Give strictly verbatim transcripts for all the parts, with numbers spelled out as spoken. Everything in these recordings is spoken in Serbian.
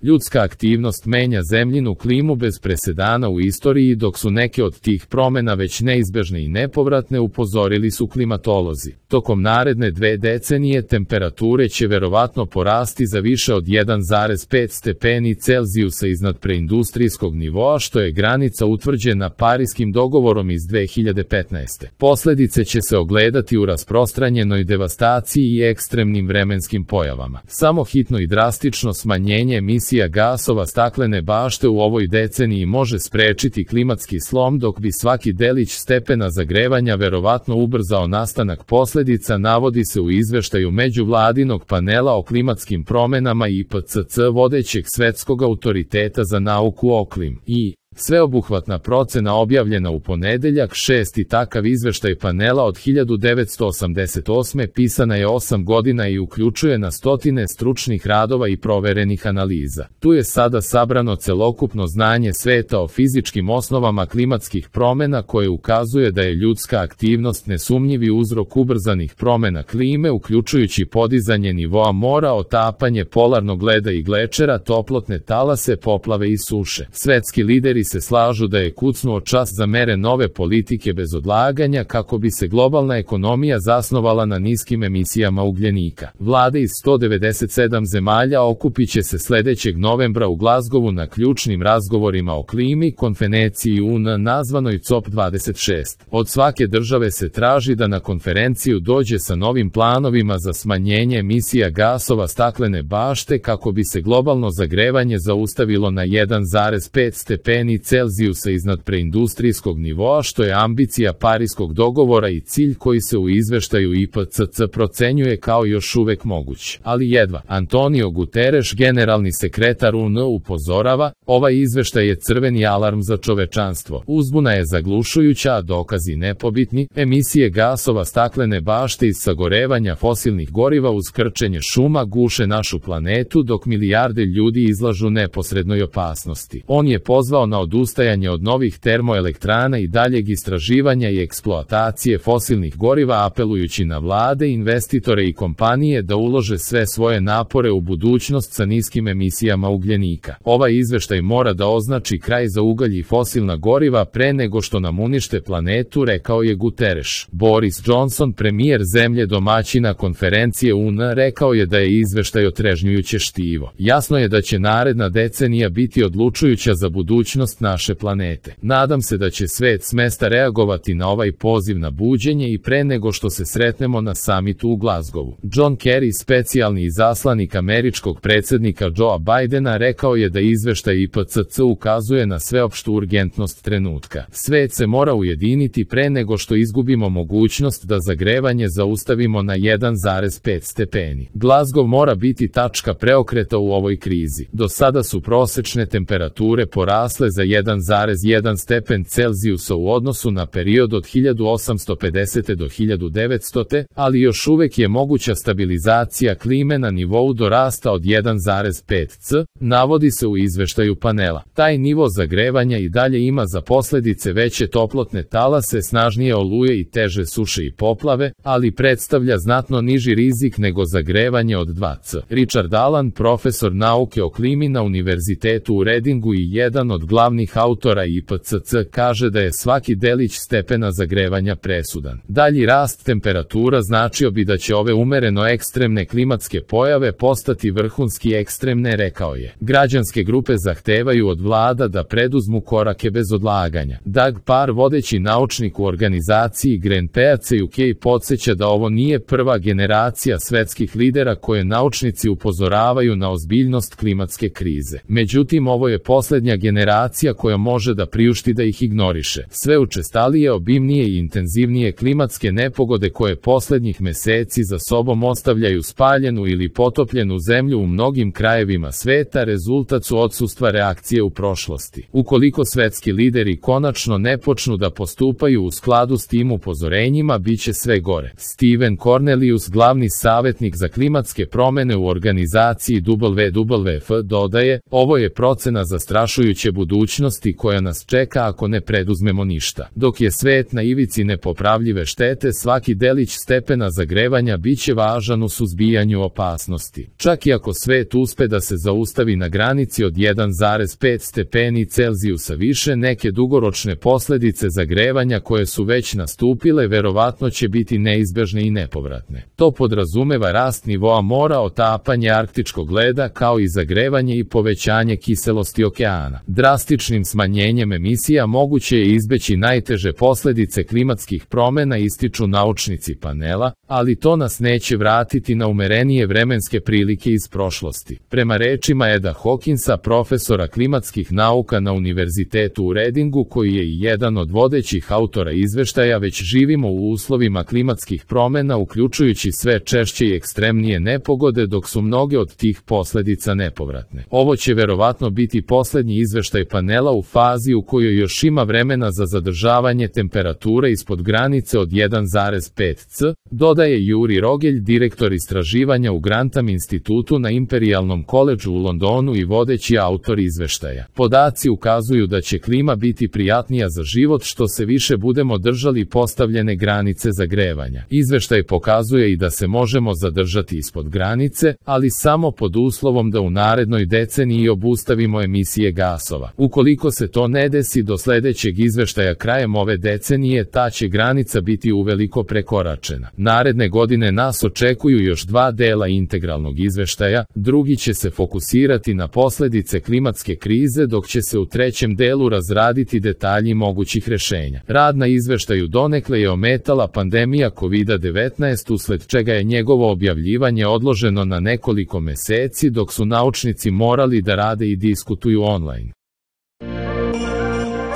Ljudska aktivnost menja zemljinu klimu bez presedana u istoriji, dok su neke od tih promena već neizbežne i nepovratne, upozorili su klimatolozi. Tokom naredne dve decenije temperature će verovatno porasti za više od jedan zarez pet stepeni Celzijusa iznad preindustrijskog nivoa, što je granica utvrđena Pariskim dogovorom iz dve hiljade petnaeste. Posledice će se ogledati u rasprostranjenoj devastaciji i ekstremnim vremenskim pojavama. Samo hitno i drastično smanjenje emisija gasova staklene bašte u ovoj deceniji može sprečiti klimatski slom, dok bi svaki delić stepena zagrevanja verovatno ubrzao nastanak posledica, navodi se u izveštaju međuvladinog panela o klimatskim promenama I P C C, vodećeg svetskog autoriteta za nauku o klimi. I sveobuhvatna procena objavljena u ponedeljak. Šesti takav izveštaj panela od hiljadu devetsto osamdeset osme pisana je osam godina i uključuje na stotine stručnih radova i proverenih analiza. Tu je sada sabrano celokupno znanje sveta o fizičkim osnovama klimatskih promena, koje ukazuje da je ljudska aktivnost nesumnjivi uzrok ubrzanih promena klime, uključujući podizanje nivoa mora, otapanje polarnog leda i glečera, toplotne talase, poplave i suše. Svetski lideri se slažu da je kucnuo čas za mere nove politike bez odlaganja kako bi se globalna ekonomija zasnovala na niskim emisijama ugljenika. Vlade iz sto devedeset sedam zemalja okupiće se sledećeg novembra u Glazgovu na ključnim razgovorima o klimi, konferenciji U N nazvanoj C O P dvadeset šest. Od svake države se traži da na konferenciju dođe sa novim planovima za smanjenje emisija gasova staklene bašte kako bi se globalno zagrevanje zaustavilo na jedan zarez pet stepeni Celzijusa iznad preindustrijskog nivoa, što je ambicija Pariskog dogovora i cilj koji se u izveštaju I P C C procenjuje kao još uvek moguć. Ali jedva. Antonio Guterres, generalni sekretar U N, upozorava, ovaj izveštaj je crveni alarm za čovečanstvo. Uzbuna je zaglušujuća, a dokazi nepobitni. Emisije gasova staklene bašte iz sagorevanja fosilnih goriva uz krčenje šuma guše našu planetu, dok milijarde ljudi izlažu neposrednoj opasnosti. On je pozvao na odustajanje od novih termoelektrana i daljeg istraživanja i eksploatacije fosilnih goriva, apelujući na vlade, investitore i kompanije da ulože sve svoje napore u budućnost sa niskim emisijama ugljenika. Ovaj izveštaj mora da označi kraj za ugalj i fosilna goriva pre nego što nam unište planetu, rekao je Guterres. Boris Johnson, premijer zemlje domaćina konferencije U N, rekao je da je izveštaj otrežnjujuće štivo. Jasno je da će naredna decenija biti odlučujuća za budućnost naše planete. Nadam se da će svet s mesta reagovati na ovaj poziv na buđenje i pre nego što se sretnemo na samitu u Glazgovu. John Kerry, specijalni izaslanik američkog predsjednika Joea Bidena, rekao je da izveštaj I P C C ukazuje na sveopštu urgentnost trenutka. Svet se mora ujediniti pre nego što izgubimo mogućnost da zagrevanje zaustavimo na jedan zarez pet stepeni. Glazgov mora biti tačka preokreta u ovoj krizi. Do sada su prosečne temperature porasle za jedan zarez jedan stepen Celzijusa u odnosu na period od hiljadu osamsto pedesete do hiljadu devetstote, ali još uvek je moguća stabilizacija klime na nivou do rasta od jedan zarez pet C, navodi se u izveštaju panela. Taj nivo zagrevanja i dalje ima za posledice veće toplotne talase, snažnije oluje i teže suše i poplave, ali predstavlja znatno niži rizik nego zagrevanje od dva C. Richard Allan, profesor nauke o klimi na Univerzitetu u Readingu i jedan od glavnih autora I P C C, kaže da je svaki delić stepena zagrevanja presudan. Dalji rast temperatura značio bi da će ove umereno ekstremne klimatske pojave postati vrhunski ekstremne, rekao je. Građanske grupe zahtevaju od vlada da preduzmu korake bez odlaganja. Doug Parr, vodeći naučnik u organizaciji Greenpeace U K, podsjeća da ovo nije prva generacija svetskih lidera koje naučnici upozoravaju na ozbiljnost klimatske krize. Međutim, ovo je poslednja generacija koja može da priušti da ih ignoriše. Sve učestalije, obimnije i intenzivnije klimatske nepogode koje poslednjih meseci za sobom ostavljaju spaljenu ili potopljenu zemlju u mnogim krajevima sveta rezultat su odsustva reakcije u prošlosti. Ukoliko svetski lideri konačno ne počnu da postupaju u skladu s tim upozorenjima, bit će sve gore. Steven Cornelius, glavni savjetnik za klimatske promene u organizaciji W W F, dodaje, ovo je procena zastrašujuće budućnosti budućnosti koja nas čeka ako ne preduzmemo ništa. Dok je svet na ivici nepopravljive štete, svaki delić stepena zagrevanja biće važan u suzbijanju opasnosti. Čak i ako svet uspe da se zaustavi na granici od jedan zarez pet stepeni Celzijusa više, neke dugoročne posledice zagrevanja koje su već nastupile verovatno će biti neizbežne i nepovratne. To podrazumeva rast nivoa mora, otapanje arktičkog leda, kao i zagrevanje i povećanje kiselosti okeana. Drastičnim smanjenjem emisija moguće je izbeći najteže posledice klimatskih promena, ističu naučnici panela, ali to nas neće vratiti na umerenije vremenske prilike iz prošlosti. Prema rečima Eda Hawkinsa, profesora klimatskih nauka na Univerzitetu u Readingu, koji je i jedan od vodećih autora izveštaja, već živimo u uslovima klimatskih promena, uključujući sve češće i ekstremnije nepogode, dok su mnoge od tih posledica nepovratne. Ovo će verovatno biti poslednji izveštaj panela u fazi u kojoj još ima vremena za zadržavanje temperature ispod granice od jedan zarez pet C, dodaje Juri Rogelj, direktor istraživanja u Grantham institutu na Imperialnom koledžu u Londonu i vodeći autor izveštaja. Podaci ukazuju da će klima biti prijatnija za život što se više budemo držali postavljene granice zagrevanja. Izveštaj pokazuje i da se možemo zadržati ispod granice, ali samo pod uslovom da u narednoj deceniji obustavimo emisije gasova. Ukoliko se to ne desi do sledećeg izveštaja krajem ove decenije, ta će granica biti uveliko prekoračena. Naredne godine nas očekuju još dva dela integralnog izveštaja, drugi će se fokusirati na posledice klimatske krize, dok će se u trećem delu razraditi detalji mogućih rešenja. Rad na izveštaju donekle je ometala pandemija kovid devetnaest, usled čega je njegovo objavljivanje odloženo na nekoliko meseci, dok su naučnici morali da rade i diskutuju online.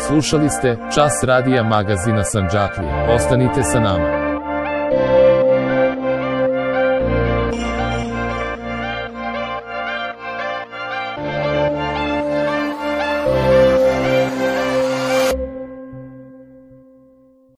Slušali ste Čas radija magazina Sandžaklija. Ostanite sa nama.